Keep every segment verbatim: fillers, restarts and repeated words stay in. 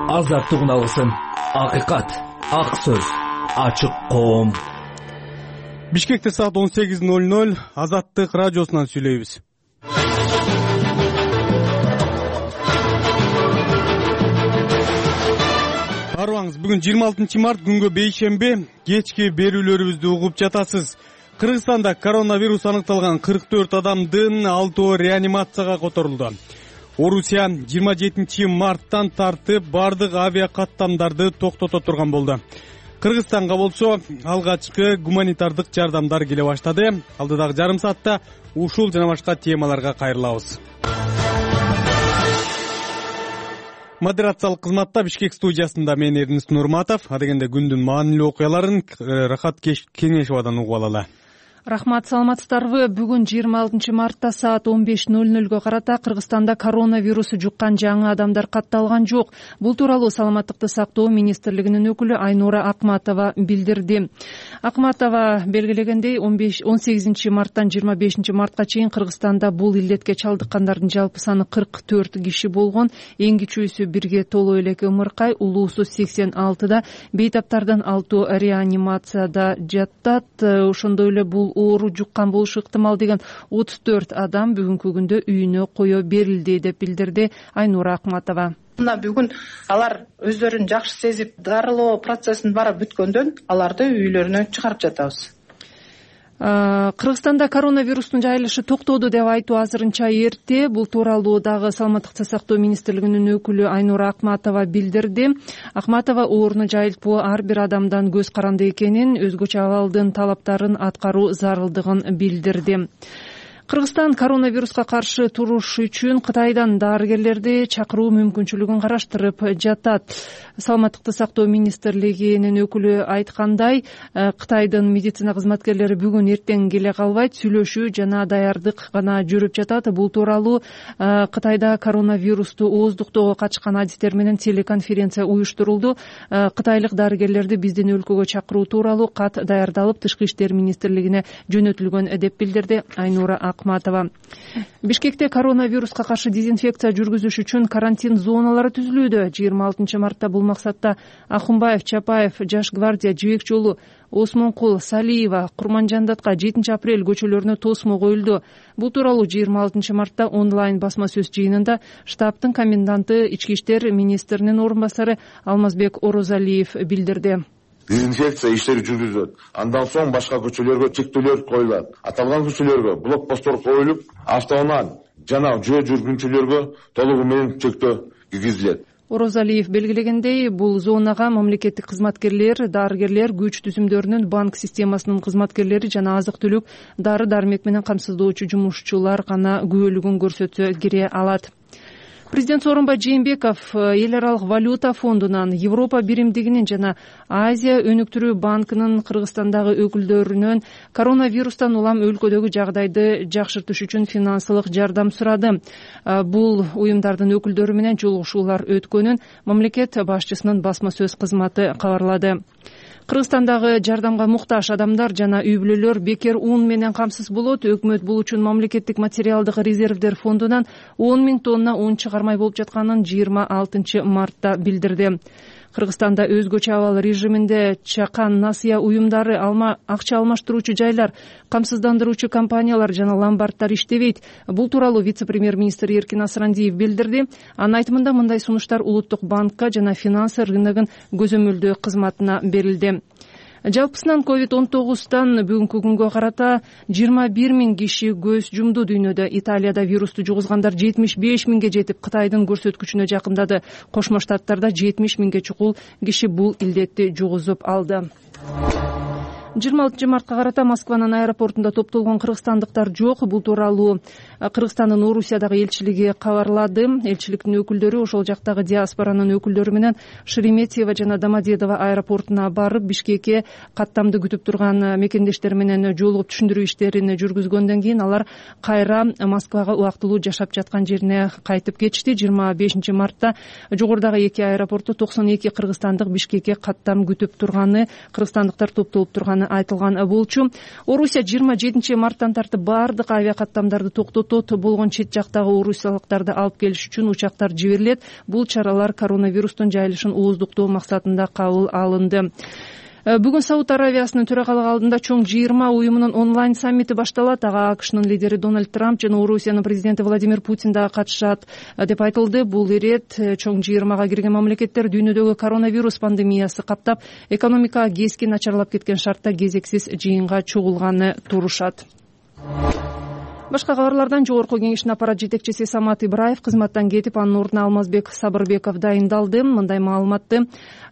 азаттык уналысын, акыйкат, ак сөз, ачык коом. Бишкекте саат он сегиз ноль ноль Азаттык радиосунан сүйлөйбүз. Арыбаңыз, бүгүн жыйырма алтынчы март күнгө бейшемби, кечки берүүлөрүбүздү угуп жатасыз. Кыргызстанда коронавирус аныкталган кырк төрт адамдын алтоо реанимацияга которулду. Орусия жыйырма жетинчи марттан тартып бардык авиа каттамдарды токтото турган болду. Кыргызстанга болсо алгачкы гуманитардык жардамдар келе баштады. Алдыдагы жарым саатта ушул жана башка темаларга кайрылабыз. Модерациялык кызматта Бишкек студиясында мен Эрнис Нурматов. Адегенде күндүн маанилүү окуяларын Рахат Кеңешовадан угуп алалы. Рахмат, саламатсыздарбы? Бүгүн жыйырма алтынчы мартта саат он беш ноль нольго карата Кыргызстанда коронавирусу жуккан жаңы адамдар катталган жок. Бул тууралуу Саламаттыкты сактоо министрлигинин өкүлү Айнура Акматова билдирди. Акматова белгилегендей, он сегизинчи марттан жыйырма бешинчи мартка чейин Кыргызстанда бул илдетке чалдыккандардын жалпы саны кырк төрт киши болгон. Эң кичүүсү бирге толо элеке ымыркай, улуусу сексен алтыда, бейтаптардан алтоо реанимацияда жатат. Ошондой эле бул оору жуккан болушу ыктымал деген отуз төрт адам бүгүнкү күндө үйүнө кое берилди деп билдирди Айнура Акматова. Мына бүгүн алар өздөрүн жакшы сезип, дарылоо процессин бара бүткөндөн аларды үйлөрүнө чыгарып жатабыз. Кыргызстанда коронавирустун жайылышы токтоду деп айтуу азырынча эрте. Бул тууралуу дагы Саламаттыкты сактоо министрлигинин өкүлү Айнура Акматова билдирди. Акматова ооруну жайылтпоо ар бир адамдан көз каранды экенин, өзгөчө абалдын талаптарын аткаруу зарылдыгын билдирди. Кыргызстан коронавируска каршы туруш үчүн Кытайдан дарыгерлерди чакыруу мүмкүнчүлүгүн караштырып жатат. Саламаттыкты сактоо министрлигинин өкүлү айткандай, Кытайдын медицина кызматкерлери бүгүн эртең келе калбайт, сүйлөшүү жана даярдык гана жүрүп жатат. Бул тууралуу Кытайда коронавирусту ооздуктоого катышкан адистер менен телеконференция уюштурулду. Кытайлык дарыгерлерди биздин өлкөгө чакыруу тууралуу кат даярдалып, Тышкы иштер министрлигине жөнөтүлгөн деп билдирди Айнура Акматова. Бишкекте коронавируска каршы дезинфекция жүргүзүш үчүн карантин зоналары түзүлүүдө. жыйырма алтынчы мартта бул максатта Акунбаев, Чапаев, Жаш гвардия, Жибек жолу, Осмонкул, Салиева, Курманжандатка, жетинчи апрель көчөлөрүнө тосмо коюлду. Бул тууралуу жыйырма алтынчы мартта онлайн басма сөз жыйынында штабтын коменданты, ички иштер министринин орун басары Алмазбек Орозалиев билдирди. Дезинфекция иштери жүргүзүлөт. Андан соң башка көчөлөргө чектөөлөр коюлат. Аталган көчөлөргө блокпосттор коюлуп, автоунаа жана жөө жүргүнчүлөргө толугу менен чектөө киргизилет. Орозалиев белгилегендей, бул зонага мамлекеттик кызматкерлер, дарыгерлер, күч түзүмдөрүнүн, банк системасынын кызматкерлери жана азык-түлүк, дары-дармек менен камсыздоочу жумушчулар гана күбөлүгүн көрсөтсө кире алат. Президент Сооронбай Жээнбеков эл аралык валюта фондунан, Европа биримдигинин жана Азия өнүктүрүү банкынын Кыргызстандагы өкүлдөрүнөн коронавирустан улам өлкөдөгү жагдайды жакшыртыш үчүн финансылык жардам сурады. Бул уюмдардын өкүлдөрү менен жолугушуулар өткөнүн мамлекет башчысынын басма сөз кызматы кабарлады. Кыргызстандагы жардамга муктаж адамдар жана үй бүлөлөр бекер ун менен камсыз болот. Өкмөт бул үчүн мамлекеттик материалдык резервдер фондунан он миң тонна ун чыгармай болуп жатканын жыйырма алтынчы мартта билдирди. Кыргызстанда өзгөчө абал режиминде чакан насыя уюмдары, алма акча алмаштыруучу жайлар, камсыздандыруучу компаниялар жана ломбарддар иштебейт. Бул тууралуу вице-премьер-министр Эркин Асрандиев билдирди. Анын айтымында мындай сунуштар Улуттук банкка жана финансы рыногун көзөмөлдөө кызматына берилди. Жалпысынан ковид он тогуздан бүгүнкү күнгө карата жыйырма бир миң киши көз жумду дүйнөдө. Италияда вирусту жугузгандар жетимиш беш миңге жетип, Кытайдын көрсөткүчүнө жакындады. Кошмо Штаттарда жетимиш миңге чукул киши бул илдетти жугузуп алды. жыйырма алтынчы мартка карата Москванын аэропортунда топтолгон кыргызстандыктар жок. Бул тууралуу Кыргызстандын Орусиядагы элчилиги кабарлады. Элчиликтин өкүлдөрү ошол жактагы диаспоранын өкүлдөрү менен Шереметьево жана Домодедово аэропортуна барып, Бишкекке каттамды күтүп турган мекендештер менен жолугуп түшүндүрүү иштерин жүргүзгөндөн кийин алар кайра Москвага убактылуу жашап жаткан жерине кайтып кетишти. жыйырма бешинчи мартта жогорудагы эки аэропортто токсон эки кыргызстандык Бишкекке каттам күтүп турганы, кыргызстандыктар топтолуп турганы айтылган болчу. Орусия жыйырма жетинчи марттан тартып баардык авиакаттамдарды токтотот, болгон чет жактагы орусиялыктарды алып келиш үчүн учактар жиберилет. Бул чаралар коронавирустун жайылышын ооздуктоо максатында кабыл алынды. Бүгүн Сауд Аравиясынын төрагалыгы алдында чоң жыйырма уюмунун онлайн саммити башталат. Ага АКШнын лидери Дональд Трамп жана Орусиянын президенти Владимир Путин да катышат деп айтылды. Бул ирет чоң жыйырмага кирген мамлекеттер дүйнөдөгү коронавирус пандемиясы каптап, экономика кескен начарлап кеткен шартта кезексиз жыйынга чогулганы турушат. Башка кабарлардан жогорку кеңештин аппарат жетекчиси Самат Ибраев кызматтан кетип, анын ордуна Алмазбек Сабырбеков дайындалды. Мындай маалыматты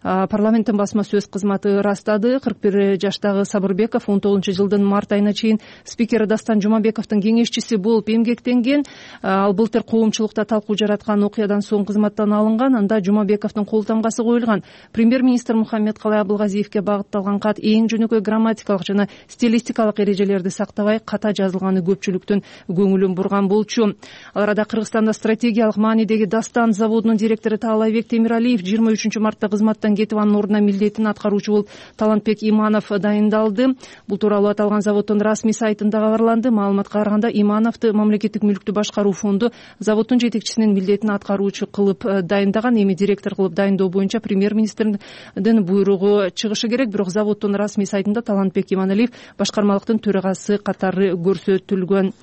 парламенттин басма сөз кызматы ырастады. кырк бир жаштагы Сабырбеков он тогузунчу жылдын март айына чейин спикер Дастан Жумабековдун кеңешчиси болуп эмгектенген. Ал былтыр коомчулукта талкуу жараткан окуядан соң кызматтан алынган. Анда Жумабековдун кол тамгасы коюлган. Премьер-министр Мухаммедкалай Абылгазиевке багытталган кат эң жөнөкөй грамматикалык жана стилистикалык эрежелерди сактабай ката жазылганы көпчүлүктүн көңүлүн бурган болчу. Ал арада Кыргызстанда стратегиялык маанидеги Дастан заводунун директору Таалайбек Темиралиев жыйырма үчүнчү мартта кызматтан кетип, анын ордуна милдетин аткаруучу болуп Талантбек Иманов дайындалды. Бул тууралуу аталган заводдун расмий сайтында кабарланды. Маалыматка караганда, Имановду мамлекеттик мүлктү башкаруу фонду заводдун жетекчисинин милдетин аткаруучу кылып дайындаган. Эми директор кылып дайындоо боюнча премьер-министрдин буйругу чыгышы керек. Бирок заводдун расмий сайтында Талантбек Иманалиев башкармалыктын төрагасы катары көрсөтүлгөн.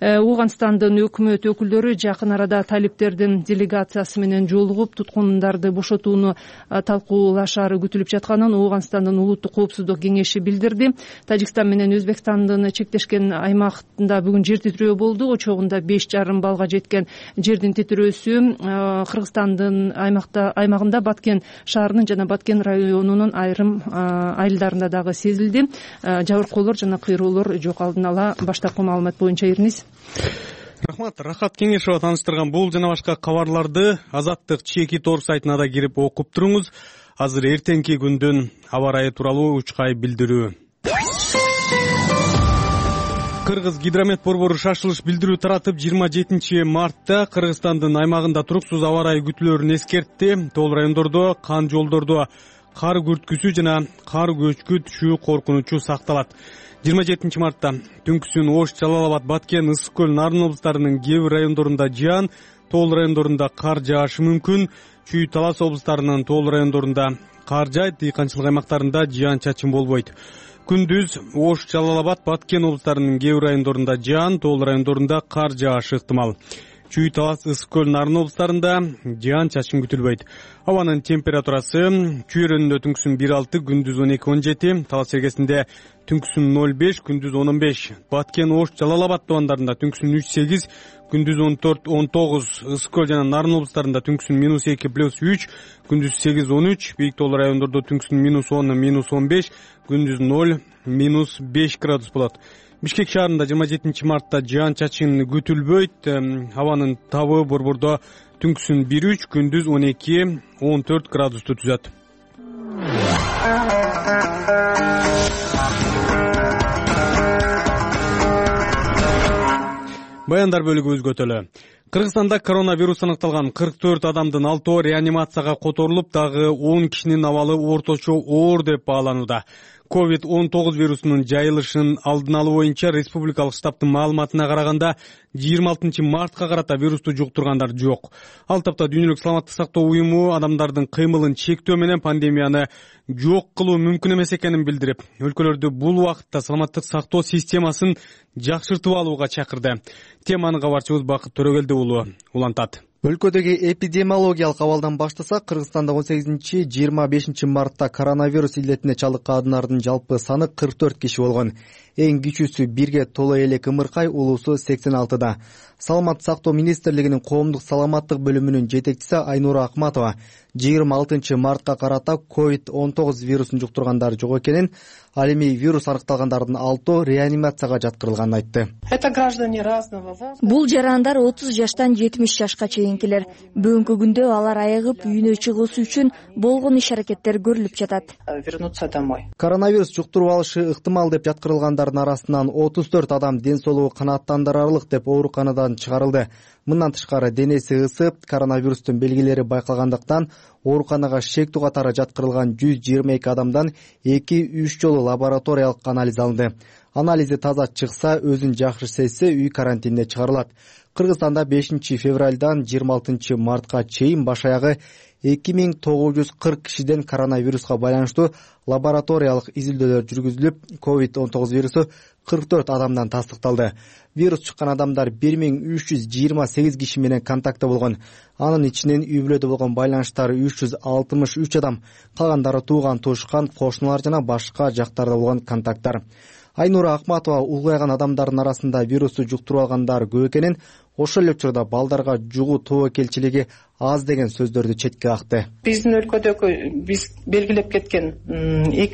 Ооганстандын өкмөт өкүлдөрү жакын арада талиптердин делегациясы менен жолугуп, туткундарды бошотууну талкуулашары күтүлүп жатканын Ооганстандын улуттук коопсуздук кеңеши билдирди. Тажикстан менен Өзбекстандын чектешкен аймагында бүгүн жер титирөө болду. Очогунда беш жарым балга жеткен жердин титирөөсү Кыргызстандын аймакта аймагында Баткен шаарынын жана Баткен районунун айрым айылдарында дагы сезилди. Жабыркоолор жана кыйроолор жок. Алдын ала баштапкы маалымат боюнча Ирниз. Рахмат. Рахат Кеңешова тааныштырган бул жана башка кабарларды Азаттык чеки тор сайтына да кирип окуп туруңуз. Азыр эртеңки күндүн аба ырайы тууралуу учкай билдирүү. Кыргыз гидромет борбору шашылыш билдирүү таратып, жыйырма жетинчи мартта Кыргызстандын аймагында туруксуз аба ырайы күтүлөөрүн эскертти. Тоол райондордо, кан жолдордо кар күрткүсү жана кар көчкү түшүү коркунучу сакталат. жыйырма жетинчи мартта түнкүсүн Ош, Жалал Абад, Баткен, Ысык көл, Нарын облустарынын кээ бир райондорунда жаан, тоол райондорунда кар жаашы мүмкүн. Чүй, Талас облустарынын тоол райондорунда кар жаайт, дыйканчылык аймактарында жаан чачын болбойт. Күндүз Ош, Жалал Абад, Баткен облустарынын кээ бир райондорунда жаан, тоол райондорунда кар жаашы ыктымал. Чүй, Талас, Ысык көл, Нарын облустарында жаан чачын күтүлбөйт. Абанын температурасы Чүй районунда түнкүсүн бир алты, күндүз он эки он жети, Талас Сергесинде түнкүсүн ноль беш, күндүз он он беш, Баткен, Ош, Жалал Абад тубандарында түнкүсүн үч сегиз, күндүз он төрт он тогуз, Ысык көл жана Нарын облустарында түнкүсүн минус эки плюс үч, күндүз сегиз он үч, бийик тоол райондордо түнкүсүн минус он минус он беш, күндүз ноль минус беш градус болот. Бишкек шаарында жыйырма жетинчи мартта жаан чачын күтүлбөйт. Абанын табы борбордо түнкүсүн бир үч, күндүз он эки он төрт градусту түзөт. Баяндар бөлүгү өзгөтөлө. Кыргызстанда коронавирус аныкталган кырк төрт адамдын алтоо реанимацияга которулуп, дагы он кишинин абалы орточо оор деп бааланууда. ковид он тогуз вирусунун жайылышын алдын алуу боюнча республикалык штабтын маалыматына караганда жыйырма алтынчы мартка карата вирусту жуктургандар жок. Ал тапта Дүйнөлүк саламаттык сактоо уюму адамдардын кыймылын чектөө менен пандемияны жок кылуу мүмкүн эмес экенин билдирип, өлкөлөрдү бул убакытта саламаттык сактоо системасын жакшыртып алууга чакырды. Теманы кабарчыбыз Бакыт Төрөгелди уулу улантат. Өлкөдөгү эпидемиологиялык абалдан баштасак, Кыргызстанда он сегизинчи жыйырма бешинчи мартта коронавирус илетине чалыккандардын жалпы саны кырк төрт киши болгон. Эң кичүүсү бирге толо элек Ымыркай, улуусу сексен алтыда. Саламаттык сактоо министрлигинин коомдук саламаттык бөлүмүнүн жетекчиси Айнура Акматова жыйырма алтынчы мартка карата ковид он тогуз вирусун жуктургандар жок экенин, ал эми вирус аныкталгандардын алтоо реанимацияга жаткырылганын айтты. Это граждане разного возраста. Бул жарандар отуз жаштан жетимиш жашка чейинкилер. Бүгүнкү күндө алар айыгып үйүнө чыгуусу үчүн болгон иш-аракеттер көрүлүп жатат. Вернуться домой. Коронавирус жуктуруп алышы ыктымал деп жаткырылгандардын арасынан отуз төрт адам ден соолугу канааттандырарлык деп ооруканадан чыгарылды. Мындан тышкары денеси ысып, коронавирустун белгилери байкалгандыктан ооруканага шектүү катары жаткырылган жүз жыйырма эки адамдан эки үч жолу лабораториялык анализ алынды. Анализи таза чыкса, өзүн жакшы сезсе, үй карантинине чыгарылат. Кыргызстанда бешинчи февралдан жыйырма алтынчы мартка чейин баш аягы эки миң тогуз жүз кырк кишиден коронавируска байланыштуу лабораториялык изилдөөлөр жүргүзүлүп, ковид он тогуз вирусу кырк төрт адамдан тастыкталды. Вирус чыккан адамдар бир миң үч жүз жыйырма сегиз киши менен контактта болгон. Анын ичинен үй бүлөдө болгон байланыштар үч жүз алтымыш үч адам, калгандары тууган туушкан, кошуналар жана башка жактарда болгон контакттар. Айнура Акматова улгайган адамдардын арасында вирусту жуктуруп алгандар көп экенин, ошол эле учурда балдарга жугуу тобокелчилиги аз деген сөздөрдү четке какты. Биздин өлкөдөгү биз белгилеп кеткен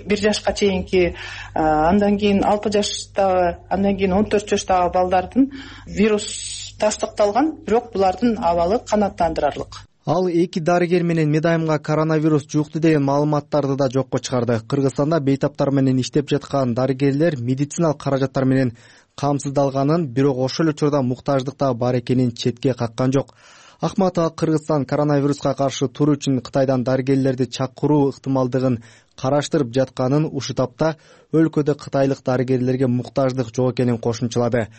бир жашка чейинки, андан кийин алты жаштагы, андан кийин он төрт жаштагы балдардын вирус тастыкталган, бирок булардын абалы канааттандырарлык. Ал эки дарыгер менен медайымга коронавирус жукту деген маалыматтарды да жокко чыгарды. Кыргызстанда бейтаптар менен иштеп жаткан дарыгерлер медициналык каражаттар менен камсыздалганын, бирок ошол эле учурда муктаждыкта бар экенин четке каккан жок. Акматова Кыргызстан коронавируска каршы туруу үчүн Кытайдан дарыгерлерди чакыруу ыктымалдыгын караштырып жатканын, ушул тапта өлкөдө кытайлык дарыгерлерге муктаждык жок экенин кошумчалады.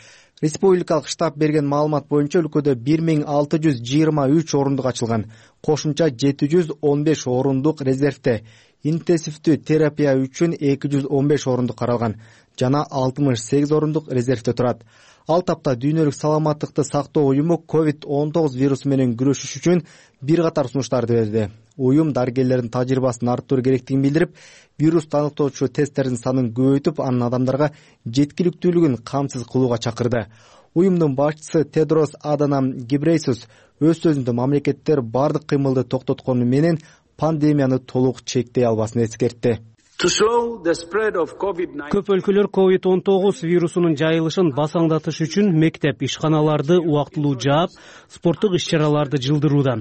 Республикалык штаб берген маалымат боюнча өлкөдө бир миң алты жүз жыйырма үч орундук ачылган, кошумча жети жүз он беш орундук резервде, интенсивдүү терапия үчүн эки жүз он беш орундук каралган жана алтымыш сегиз орундук резервде турат. Ал тапта Дүйнөлүк саламаттыкты сактоо уюму ковид он тогуз вирусу менен күрөшүш үчүн бир катар сунуштарды берди. Уюм дарыгерлердин тажрыйбасын арттыруу керектигин билдирип, вирус аныктоочу тесттердин санын көбөйтүп, анын адамдарга жеткиликтүүлүгүн камсыз кылууга чакырды. Уюмдун башчысы Тедрос Аданам Гебрейсус өз сөзүндө мамлекеттер бардык кыймылды токтоткону менен пандемияны толук чектей албасын эскертти. Көп өлкөлөр ковид он тогуз вирусунун жайылышын басаңдатыш үчүн мектеп, ишканаларды убактылуу жаап, спорттук иш-чараларды жылдырууда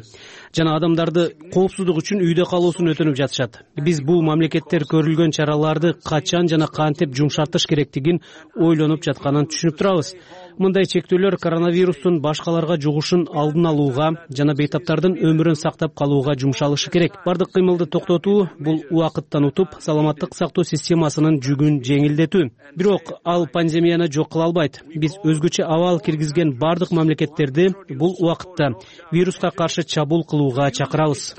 жана адамдарды коопсуздук үчүн үйдө калуусун өтүнүп жатышат. Биз бул мамлекеттер көрүлгөн чараларды качан жана кантип жумшартыш керектигин ойлонуп жатканын түшүнүп турабыз. Мындай чектөөлөр коронавирустун башкаларга жугушун алдын алууга жана бейтаптардын өмүрүн сактап калууга жумшалышы керек. Бардык кыймылды токтотуу бул убакыттан утуп, саламаттык сактоо системасынын жүгүн жеңилдетүү. Бирок ал пандемияны жок кыла албайт. Биз өзгөчө абал киргизген бардык мамлекеттерди бул убакытта вируска каршы чабуул кылууга чакырабыз.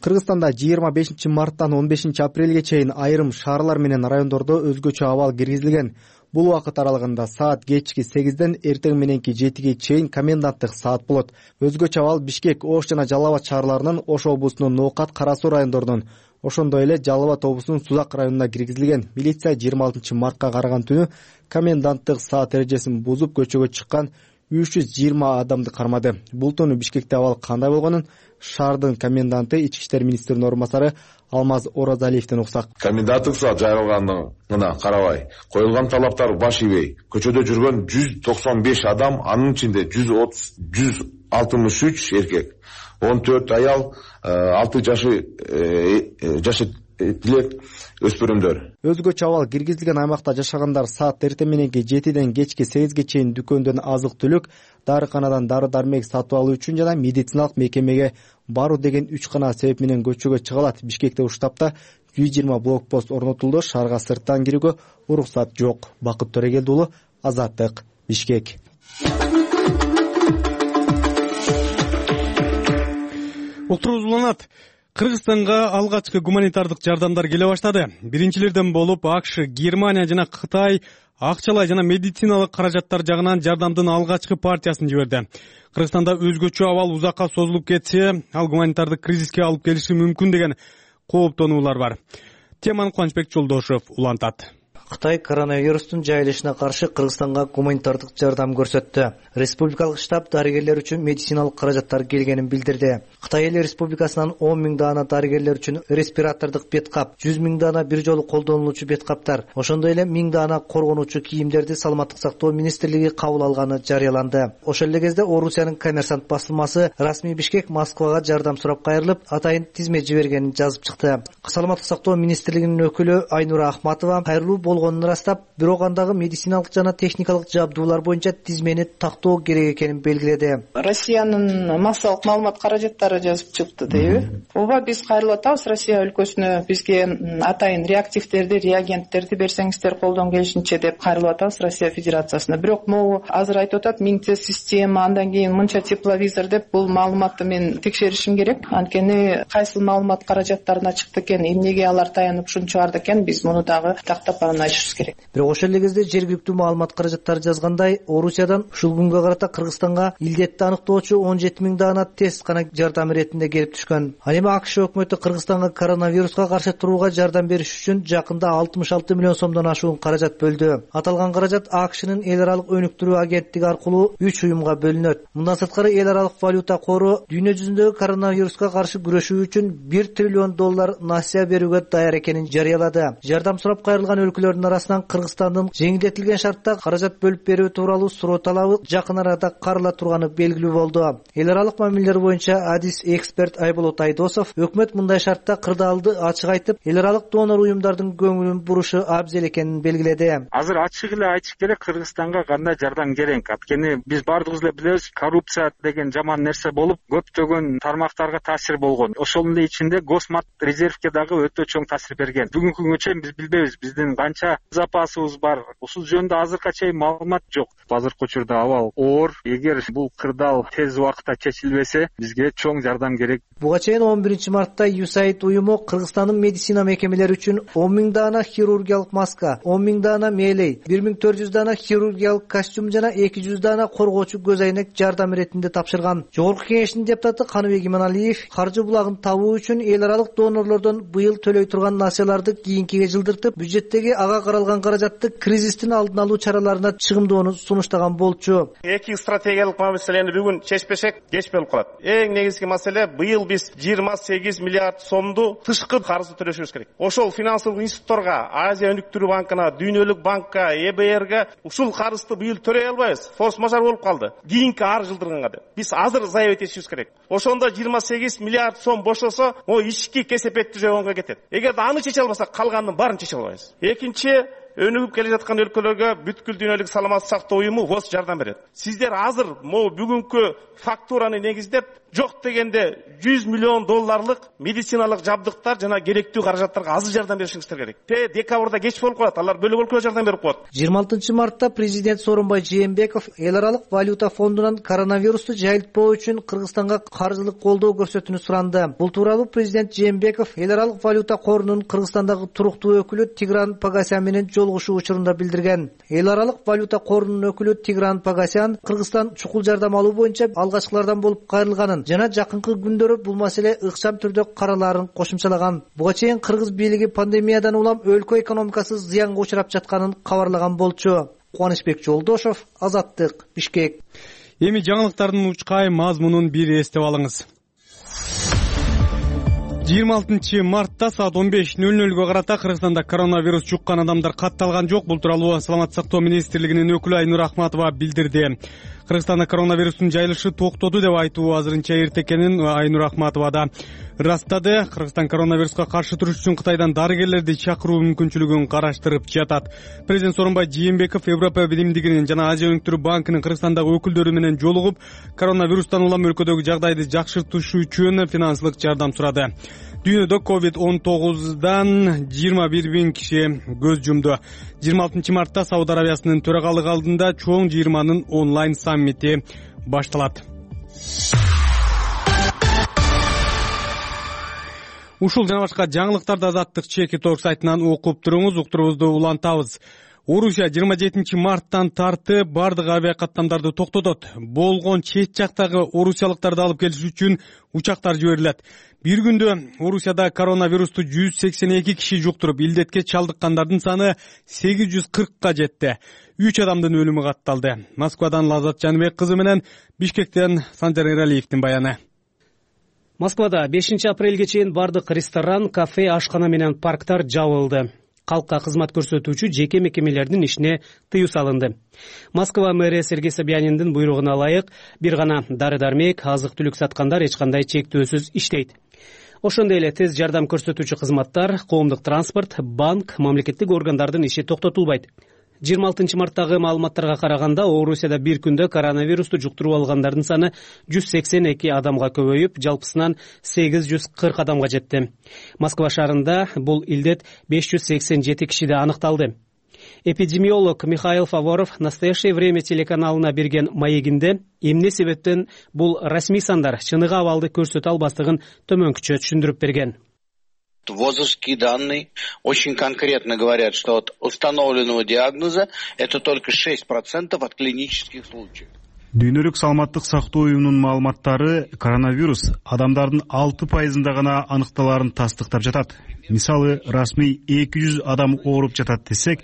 Кыргызстанда жыйырма бешинчи марттан он бешинчи апрелге чейин айрым шаарлар менен райондордо өзгөчө абал киргизилген. Бул убакыт аралыгында саат кечки сегизден эртең мененки жетиге чейин коменданттык саат болот. Өзгөчө абал Бишкек, Ош жана Жалал абад шаарларынын, Ош облусунун Ноокат, Кара Суу райондорунун, ошондой эле Жалал абад облусунун Сузак районуна киргизилген. Милиция жыйырма алтынчы мартка караган түнү коменданттык саат эрежесин бузуп көчөгө чыккан үч жүз жыйырма адамды кармады. Бул түнү Бишкекте абал кандай болгонун шаардын коменданты, ички иштер министринин орун басары Алмаз Оразалиевден уксак. Коменданттык саат жайылгандыгына карабай, коюлган талаптар баш ийбей, көчөдө жүргөн жүз токсон беш адам, анын ичинде жүз алтымыш үч эркек, он төрт аял, алты жашы жашы тилек өспүрүмдөр. Өзгөчө абал киргизилген аймакта жашагандар саат эртең мененки жетиден кечки сегизге чейин дүкөндөн азык-түлүк, дарыканадан дары-дармек сатып алуу үчүн жана медициналык мекемеге баруу деген үч гана себеп менен көчөгө чыга алат. Бишкекте ушул тапта жүз жыйырма блокпост орнотулду. Шаарга сырттан кирүүгө уруксат жок. Бакыт Төрегелди уулу, Азаттык, Бишкек. Уктуруубуз уланат. Кыргызстанга алгачкы гуманитардык жардамдар келе баштады. Биринчилерден болуп АКШ, Германия жана Кытай акчалай жана медициналык каражаттар жагынан жардамдын алгачкы партиясын жиберди. Кыргызстанда өзгөчө абал узакка созулуп кетсе, ал гуманитардык кризиске алып келиши мүмкүн деген кооптонуулар бар. Теманы Кубанычбек Жолдошев улантат. Кытай коронавирустун жайылышына каршы Кыргызстанга гуманитардык жардам көрсөттү. Республикалык штаб дарыгерлер үчүн медициналык каражаттар келгенин билдирди. Кытай эл республикасынан он миң даана дарыгерлер үчүн респиратордук бет кап, жүз миң даана бир жолу колдонулуучу бет каптар, ошондой эле миң даана коргонуучу кийимдерди Саламаттык сактоо министрлиги кабыл алганы жарыяланды. Ошол эле кезде Орусиянын Коммерсант басылмасы расмий Бишкек Москвага жардам сурап кайрылып, атайын тизме жибергенин жазып чыкты. Саламаттык сактоо министрлигинин өкүлү Айнура Акматова кайрылуу болгон болгонун ырастап, бирок андагы медициналык жана техникалык жабдуулар боюнча тизмени тактоо керек экенин белгиледи. Россиянын массалык маалымат каражаттары жазып чыкты дейби? Ооба, биз кайрылып атабыз Россия өлкөсүнө. Бизге атайын реактивдерди, реагенттерди берсеңиздер колдон келишинче деп кайрылып атабыз Россия Федерациясына. Бирок могу азыр айтып атат миңте система, андан кийин мынча тепловизор деп, бул маалыматты мен текшеришим керек. Анткени кайсыл маалымат каражаттарына чыкты экен, эмнеге алар таянып ушуну чыгарды экен, биз муну дагы тактап анан айтышыбыз керек. Бирок ошол эле кезде жергиликтүү маалымат каражаттары жазгандай, Орусиядан ушул күнгө карата Кыргызстанга илдетти аныктоочу он жети миң даана тест гана жардам иретинде келип түшкөн. Ал эми АКШ өкмөтү Кыргызстанга коронавируска каршы турууга жардам бериш үчүн жакында алтымыш алты миллион сомдон ашуун каражат бөлдү. Аталган каражат АКШнын эл аралык өнүктүрүү агенттиги аркылуу үч уюмга бөлүнөт. Мындан сырткары эл аралык валюта кору дүйнө жүзүндөгү коронавируска каршы күрөшүү үчүн бир триллион доллар насыя берүүгө даяр экенин жарыялады. Жардам сурап кайрылган өлкөлөрдүн арасынан Кыргызстандын жеңилдетилген шартта каражат бөлүп берүү тууралуу суроо талабы жакын арада карыла турганы белгилүү болду. Эл аралык мамилелер боюнча адис эксперт Айболот Айдосов өкмөт мындай шартта кырдаалды ачык айтып, эл аралык донор уюмдардын көңүлүн бурушу абзел экенин белгиледи. Азыр ачык эле айтыш керек, Кыргызстанга кандай жардам керек. Анткени биз баардыгыбыз эле билебиз, коррупция деген жаман нерсе болуп, көптөгөн тармактарга таасир болгон. Ошонун ичинде Госмат резервке дагы өтө чоң таасир берген. Бүгүнкү күнгө чейин биз билбейбиз биздин канча запасыбыз бар. Ушул жөнүндө азыркыга чейин маалымат жок. Азыркы учурда абал оор. Эгер бул кырдаал тез убакытта чечилбесе, бизге чоң жардам керек. Буга чейин он биринчи мартта ю эс эй ай ди уюму Кыргызстандын медицина мекемелери үчүн он миң даана хирургиялык маска, он миң даана мээлей, бир миң төрт жүз даана хирургиялык костюм жана эки жүз даана коргоочу көз айнек жардам иретинде тапшырган. Жогорку кеңештин депутаты Каныбек Иманалиев каржы булагын табуу үчүн эл аралык донорлордон быйыл төлөй турган насыяларды кийинкиге жылдыртып, бюджеттеги ага каралган каражатты кризистин алдын алуу чараларына чыгымдоону сунуштаган болчу. Эки стратегиялык маселени бүгүн чечпесек кеч болуп калат. Эң негизги маселе, быйыл биз жыйырма сегиз миллиард сомду тышкы карызды төлөшүбүз керек. Ошол финансылык институтторго, Азия өнүктүрүү банкына, Дүйнөлүк банкка, Э Б Р'ге ушул карызды быйыл төлөй албайбыз. Форс-мажор болуп калды. Кийинки ар жылдырганга деп. Биз азыр заявить этишибиз керек. Ошондо жыйырма сегиз миллиард сом бошосо, о ички кесепетти жөнгөнгө кетет. Эгерде аны чече албасак, калганын баарын чече албайбыз. Экинчи, өнүгүп келе жаткан өлкөлөргө бүткүл дүйнөлүк саламаттык сактоо уюму ВОЗ жардам берет. Сиздер азыр могу бүгүнкү фактураны негиздеп, жок дегенде жүз миллион долларлык медициналык жабдыктар жана керектүү каражаттарга азыр жардам беришиңиздер керек. Те декабрда кеч болуп калат, алар бөлөк өлкөгө жардам берип коет. жыйырма алтынчы мартта президент Сооронбай Жээнбеков эл аралык валюта фондунан коронавирусту жайылтпоо үчүн Кыргызстанга каржылык колдоо көрсөтүүнү суранды. Бул тууралуу президент Жээнбеков эл аралык валюта корунун Кыргызстандагы туруктуу өкүлү Тигран Погосян менен жолугушуу учурунда билдирген. Эл аралык валюта корунун өкүлү Тигран Погосян Кыргызстан чукул жардам алуу боюнча алгачкылардан болуп кайрылганын жана жакынкы күндөрү бул маселе ыкчам түрдө каралаарын кошумчалаган. Буга чейин кыргыз бийлиги пандемиядан улам өлкө экономикасы зыянга учурап жатканын кабарлаган болчу. Кубанычбек Жолдошов, Азаттык, Бишкек. Эми жаңылыктардын учкай мазмунун бир эстеп алыңыз. жыйырма алтынчы мартта саат он беш нөл нөлгө карата Кыргызстанда коронавирус жуккан адамдар катталган жок. Бул тууралуу Саламаттык сактоо министрлигинин өкүлү Айнур Ахматова билдирди. Кыргызстанда коронавирустун жайылышы токтоду деп айтуу азырынча эрте экенин Айнур Ахматова да ырастады. Кыргызстан коронавируска каршы туруш үчүн Кытайдан дарыгерлерди чакыруу мүмкүнчүлүгүн караштырып жатат. Президент Сооронбай Жээнбеков Европа биримдигинин жана Азия өнүктүрүү банкынын Кыргызстандагы өкүлдөрү менен жолугуп, коронавирустан улам өлкөдөгү жагдайды жакшыртыш үчүн финансылык жардам сурады. Дүйнөдө ковид он тогуздан жыйырма бир миң киши көз жумду. жыйырма алтынчы мартта Сауд Арабиясынын төрагалыгы алдында чоң жыйырманын онлайн саммити башталат. Ушул жана башка жаңылыктарды Азаттык Чеки Торг сайтынан окуп туруңуз, уктуруубузду улантабыз. Орусия жыйырма жетинчи марттан тартып бардык авиакаттамдарды токтотот. Болгон чет жактагы орусиялыктарды алып келиш үчүн учактар жиберилет. Бир күндө Орусияда коронавирусту жүз сексен эки киши жуктуруп, илдетке чалдыккандардын саны сегиз жүз кыркка жетти. үч адамдын өлүмү катталды. Москвадан Лазат Жаныбек кызы менен, Бишкектен Санжар Эралиевдин баяны. Москвада бешинчи апрелге чейин бардык ресторан, кафе, ашкана менен парктар жабылды. Калкка кызмат көрсөтүүчү жеке мекемелердин ишине тыюу салынды. Москва мэрия Сергей Собяниндин буйругуна ылайык бир гана дары-дармек, азык-түлүк саткандар эч кандай чектөөсүз иштейт. Ошондой эле тез жардам көрсөтүүчү кызматтар, коомдук транспорт, банк, мамлекеттик органдардын иши токтотулбайт. жыйырма алтынчы марттагы маалыматтарга караганда, Орусияда бир күндө коронавирусту жуктуруп алгандардын саны жүз сексен эки адамга көбөйүп, жалпысынан сегиз жүз кырк адамга жетти. Москва шаарында бул илдет беш жүз сексен жети кишиде аныкталды. Эпидемиолог Михаил Фаворов «Настоящее время» телеканалына берген маегинде эмне себептен бул расмий сандар чыныгы абалды көрсөтө албастыгын төмөнкүчө түшүндүрүп берген. ВОЗовские данные очень конкретно говорят, что от установленного диагноза это только шесть процентов от клинических случаев. Дүйнөлүк саламаттык сактоо уюмунун маалыматтары коронавирус адамдардын алты пайызында гана аныкталарын тастыктап жатат. Мисалы, расмий эки жүз адам ооруп жатат десек,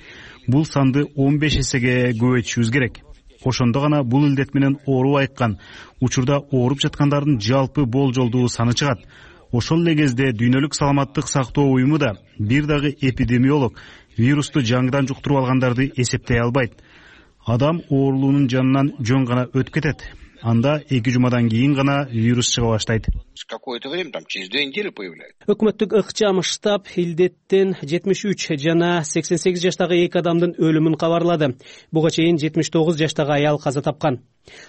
бул санды он беш эсеге көбөйтүшүбүз керек. Ошондо гана бул илдет менен ооруп айыккан учурда ооруп жаткандардын жалпы болжолдуу саны чыгат. Ошол эле кезде Дүйнөлүк саламаттык сактоо уюму да бир дагы эпидемиолог вирусту жаңыдан жуктуруп алгандарды эсептей албайт. Адам оорулуунун жанынан жөн гана өтүп кетет. Анда эки жумадан кийин гана вирус чыга баштайт. Какое-то время, там через две недели появляется. Өкмөттүк ыкчам штаб илдеттен жетимиш үч жана сексен сегиз жаштагы эки адамдын өлүмүн кабарлады. Буга чейин жетимиш тогуз жаштагы аял каза тапкан.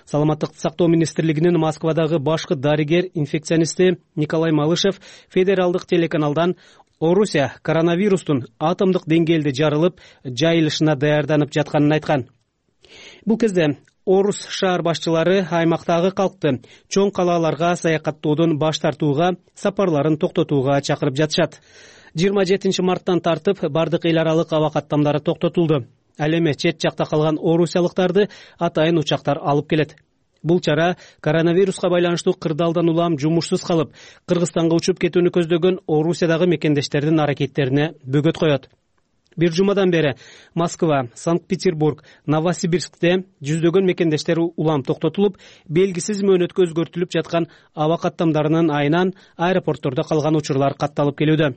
Саламаттык сактоо министрлигинин Москвадагы башкы дарыгер инфекционисти Николай Малышев федералдык телеканалдан Орусия коронавирустун атомдук деңгээлде жарылып, жайылышына даярданып жатканын айткан. Бул кезде Орус шаар башчылары аймактагы калкты чоң калааларга саякаттоодон баш тартууга, сапарларын токтотууга чакырып жатышат. жыйырма жетинчи марттан тартып бардык эл аралык аба каттамдары токтотулду. Ал эми чет жакта калган орусиялыктарды атайын учактар алып келет. Бул чара коронавируска байланыштуу кырдаалдан улам жумушсуз калып, Кыргызстанга учуп кетүүнү көздөгөн Орусиядагы мекендештердин аракеттерине бөгөт коет. Бир жумадан бери Москва, Санкт-Петербург, Новосибирскте жүздөгөн мекендештер улам токтотулуп, белгисиз мөөнөткө өзгөртүлүп жаткан аба каттамдарынын айынан аэропорттордо калган учурлар катталып келүүдө.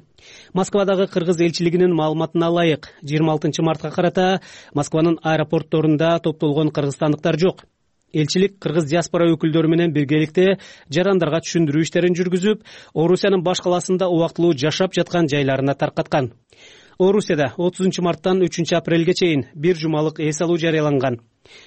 Москвадагы кыргыз элчилигинин маалыматына ылайык, жыйырма алтынчы мартка карата Москванын аэропортторунда топтолгон кыргызстандыктар жок. Элчилик кыргыз диаспора өкүлдөрү менен биргеликте жарандарга түшүндүрүү иштерин жүргүзүп, Орусиянын баш каласында убактылуу жашап жаткан жайларына таркаткан. Орусияда отузунчу марттан үчүнчү апрелге чейин бир жумалык эс алуу жарыяланган.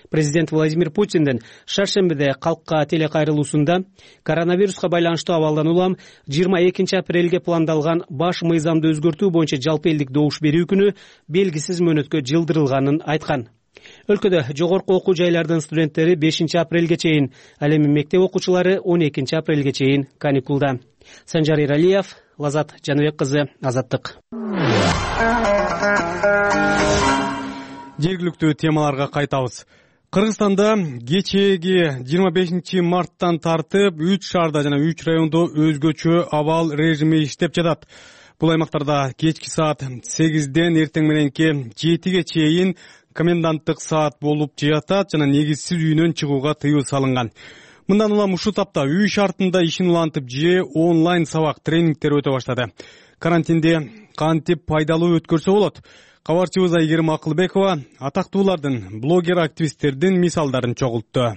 Президент Владимир Путиндин шаршембиде калкка телекайрылуусунда коронавируска байланыштуу абалдан улам жыйырма экинчи апрелге пландалган баш мыйзамды өзгөртүү боюнча жалпы элдик добуш берүү күнү белгисиз мөөнөткө жылдырылганын айткан. Өлкөдө жогорку окуу жайлардын студенттери бешинчи апрелге чейин, ал эми мектеп окуучулары он экинчи апрелге чейин каникулда. Санжар Иралиев, Лазат Жаныбек кызы, Азаттык. Жергиликтүү темаларга кайтабыз. Кыргызстанда кечээги жыйырма бешинчи марттан тартып үч шаарда жана үч райондо өзгөчө абал режими иштеп жатат. Бул аймактарда кечки саат сегизден эртең мененки жетиге чейин коменданттык саат болуп жатат жана негизсиз үйүнөн чыгууга тыюу салынган. Мындан улам ушул тапта үй шартында ишин улантып же онлайн сабак тренингтер өтө баштады. Карантинде кантип пайдалуу өткөрсө болот? Кабарчыбыз Айгерим Акылбекова атактуулардын, блогер-активисттердин мисалдарын чогултту.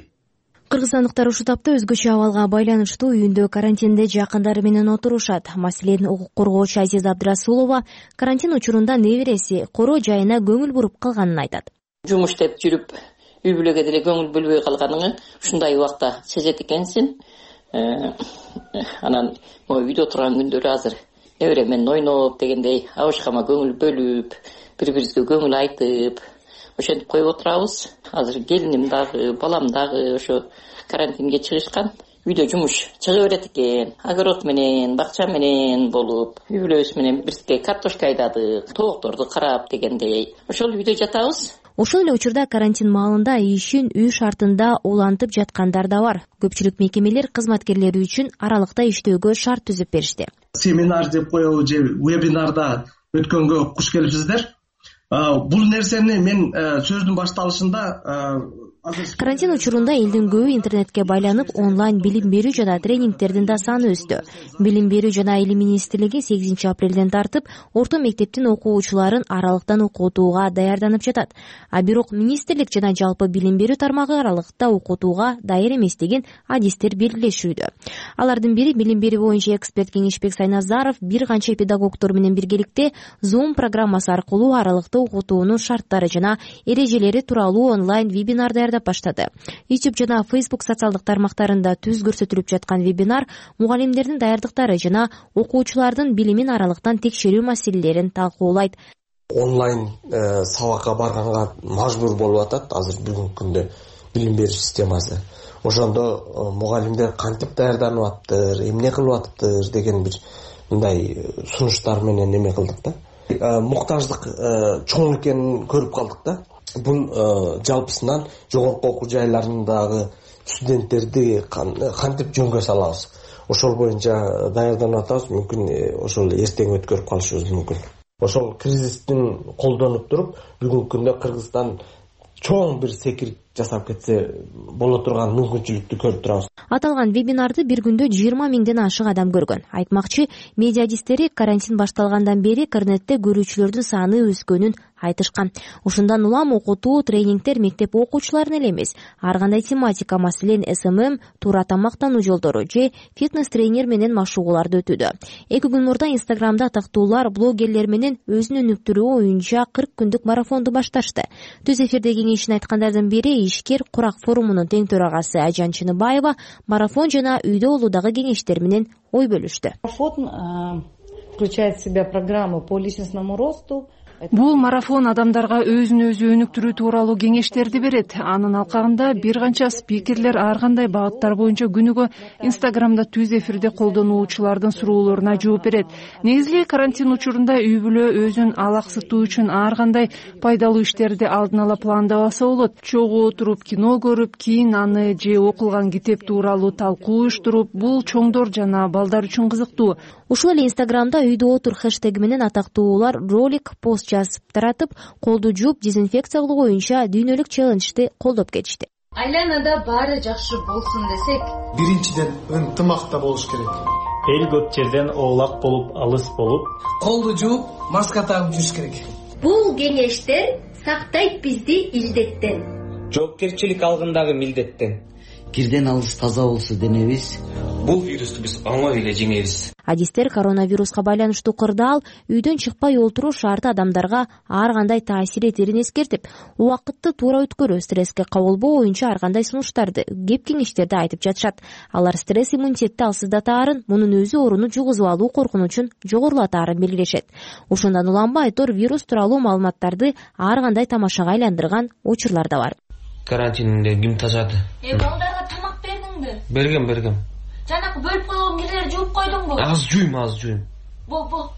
Кыргызстандыктар ушул тапта өзгөчө абалга байланыштуу үйүндө карантинде жакындары менен отурушат. Маселен, укук коргоочу Азиза Абдрасулова карантин учурунда небереси короо жайына көңүл буруп калганын айтат. Жумуш деп жүрүп, үй бүлөгө деле көңүл бөлбөй калганыңы ушундай убакта сезет экенсиң. Анан могу үйдө отурган күндөрү азыр небере менен ойноп дегендей абышкама көңүл бөлүп, бири-бирибизге көңүл айтып, ошентип коюп отурабыз. Азыр келиним дагы, балам дагы ошо карантинге чыгышкан. Үйдө жумуш чыга берет экен. Огород менен, бакча менен болуп, үй бүлөбүз менен бирге картошка айдадык, тоокторду карап дегендей. Ошол үйдө жатабыз. Ошол эле учурда карантин маалында ишин үй шартында улантып жаткандар да бар. Көпчүлүк мекемелер кызматкерлери үчүн аралыкта иштөөгө шарт түзүп беришти. Семинар деп коелу же вебинарда өткөнгө куш келипсиздер. Бул нерсени мен сөздүн башталышында Карантин учурунда элдин көбү интернетке байланып онлайн билим берүү жана тренингтердин да саны өстү. Билим берүү жана илим министрлиги сегизинчи апрелден тартып орто мектептин окуучуларын аралыктан окутууга даярданып жатат. А бирок министрлик жана жалпы билим берүү тармагы аралыкта окутууга даяр эмес деген адистер белгилешүүдө. Алардын бири билим берүү боюнча эксперт Кеңешбек Сайназаров бир канча педагогдор менен биргеликте Zoom программасы аркылуу аралыкта окутуунун шарттары жана эрежелери тууралуу онлайн вебинар даярдап баштады. YouTube жана Facebook социалдык тармактарында түз көрсөтүлүп жаткан вебинар мугалимдердин даярдыктары жана окуучулардын билимин аралыктан текшерүү маселелерин талкуулайт. Онлайн сабакка барганга мажбур болуп атат азыр бүгүнкү күндө билим берүү системасы. Ошондо мугалимдер кантип даярданып атыптыр, эмне кылып атыптыр деген бир мындай сунуштар менен эме кылдык да. Муктаждык чоң экенин көрүп калдык да. Бул жалпысынан жогорку окуу жайларындагы студенттерди кантип жөнгө салабыз. Ошол боюнча даярданып атабыз. Мүмкүн ошол эртең өткөрүп калышыбыз мүмкүн. Ошол кризистин колдонуп туруп, бүгүнкү күндө Кыргызстан чоң бир секирик жасап кетсе боло турган мүмкүнчүлүктү көрүп турабыз. Аталган вебинарды бир күндө жыйырма миңден ашык адам көргөн. Айтмакчы, медиа адистери карантин башталгандан бери интернетте көрүүчүлөрдүн саны өскөнүн айтышкан. Ушундан улам окутуу, тренингтер мектеп окуучуларына эле эмес, ар кандай тематика, маселен эс эм эм, туура тамактануу жолдору же фитнес-тренер менен машыгууларды өтүүдө. Эки күн мурда Инстаграмда атактуулар, блогерлер менен өзүн өнүктүрүү оюнча кырк күндүк марафонду башташты. Түз эфирде кеңешин айткандардын бири ишкер Курак форумунун тең төрагасы Ажан Чыныбаева марафон жана үйдө болуудагы кеңештер менен ой бөлүштү. Марафон включает в себя программу по личностному росту. Бул марафон адамдарга өзүн өзү өнүктүрүү тууралуу кеңештерди берет. Анын алкагында бир канча спикерлер ар кандай багыттар боюнча күнүгө Инстаграмда түз эфирде колдонуучулардын суроолоруна жооп берет. Негизи карантин учурунда үй бүлө өзүн алаксытуу үчүн ар кандай пайдалуу иштерди алдын ала пландабаса болот. Чогуу отуруп кино көрүп, кийин аны же окулган китеп тууралуу талкуу уюштуруп, бул чоңдор жана балдар үчүн кызыктуу. Ушул эле Инстаграмда үйдө отур хэштеги менен атактуулар ролик, пост жазып таратып, колду жууп, дезинфекция кылуу боюнча дүйнөлүк челленджди колдоп кетишти. Айланада баары жакшы болсун десек, биринчиден ынтымакта болуш керек. Эл көп жерден оолак болуп, алыс болуп, колду жууп, маска тагып жүрүш керек. Бул кеңештер сактайт бизди илдеттен. Жоопкерчилик алгындагы милдеттен. Кирден алыс таза болсо денебиз, бул вирусту биз оңой эле жеңебиз. Адистер коронавируска байланыштуу кырдаал үйдөн чыкпай отуруу шарты адамдарга ар кандай таасир этерин эскертип, убакытты туура өткөрүү, стресске кабылбоо боюнча ар кандай сунуштарды, кеп кеңештерди айтып жатышат. Алар стресс иммунитетти алсыздатаарын, мунун өзү ооруну жугузуп алуу коркунучун жогорулатаарын белгилешет. Ошондон уланбай тур вирус тууралуу маалыматтарды ар кандай тамашага айландырган учурлар да бар. Карантинде ким тажады? Э, балдарга тамак бердиңби? Бергем, бергем. Жанакы бөлүп койгон кирлерди жууп койдуңбу? Аз жуйм, аз жуйм. Бол, бол.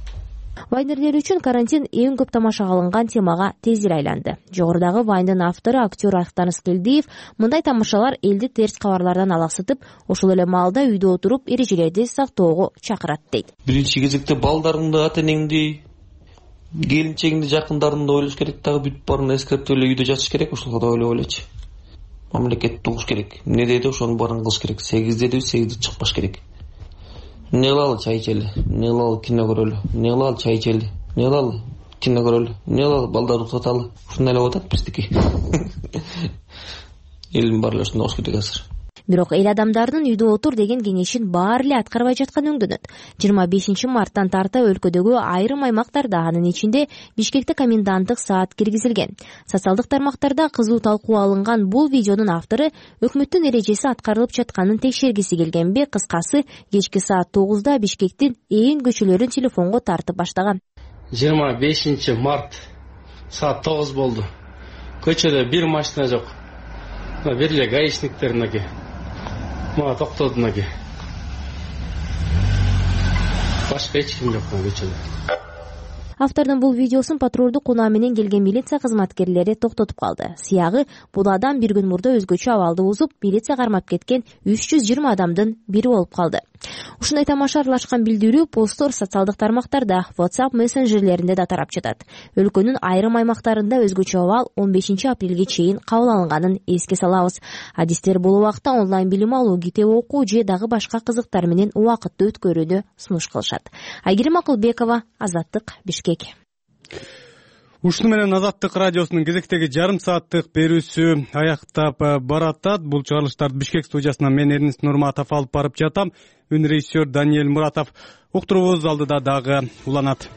Вайнерлер үчүн карантин эң көп тамашага алынган темага тез эле айланды. Жогорудагы вайндын автору актер Актан Скелдиев мындай тамашалар элди терс кабарлардан алаксытып, ошол эле маалда үйдө отуруп эрежелерди сактоого чакырат дейт. Биринчи кезекте балдарыңды, ата-энеңди, келинчегиңди, жакындарыңды ойлош керек, дагы бүт баарын эскертип эле үйдө жатыш керек, ошол да ойлоп элечи. Мамлекет тугуш керек. Эмне деди, ошонун баарын кылыш керек. сегиз деди, сегизде чыкпаш керек. Эмне кылалы, чай ичели. Эмне кылалы, кино көрөлү. Эмне кылалы, чай ичели. Эмне кылалы, кино көрөлү. Эмне кылалы, балдарды уктаталы. Ушундай эле атат биздики. Элдин баары эле ушундай болуш керек азыр. Бирок эл адамдардын үйдө отур деген кеңешин баары эле аткарбай жатканы өңдөнөт. жыйырма бешинчи марттан тарта өлкөдөгү айрым аймактарда, анын ичинде Бишкекте коменданттык саат киргизилген. Социалдык тармактарда кызуу талкуу алынган бул видеонун автору өкмөттүн эрежеси аткарылып жатканын текшергиси келгенби, кыскасы кечки саат тогузда Бишкектин ээн көчөлөрүн телефонго тартып баштаган. жыйырма бешинчи март саат тогуз болду. Көчөдө бир машина жок. Бир эле гаишниктер мынакей. Мага токтоду мынакей. Башка эч ким жок көчөдө. Автордун бул видеосун патрулдук унаа менен келген милиция кызматкерлери токтотуп калды. Сыягы бул адам бир күн мурда өзгөчө абалды бузуп, милиция кармап кеткен үч жүз жыйырма адамдын бири болуп калды. Ушундай тамаша аралашкан билдирүү посттор социалдык тармактарда, WhatsApp мессенджерлеринде да тарап жатат. Өлкөнүн айрым аймактарында өзгөчө абал он бешинчи апрелге чейин кабыл алынганын эске салабыз. Адистер бул убакта онлайн билим алуу, китеп окуу же дагы башка кызыктар менен убакытты өткөрүүнү сунуш кылышат. Айгерим Акылбекова, Азаттык, Бишкек. Ушуну менен Азаттык радиосунун кезектеги жарым сааттык берүүсү аяктап баратат. Бул чыгарылыштарды Бишкек студиясынан мен Эрнис Нурматов алып барып жатам. Үн режиссер Даниэль Муратов. Уктуруубуз алдыда дагы уланат.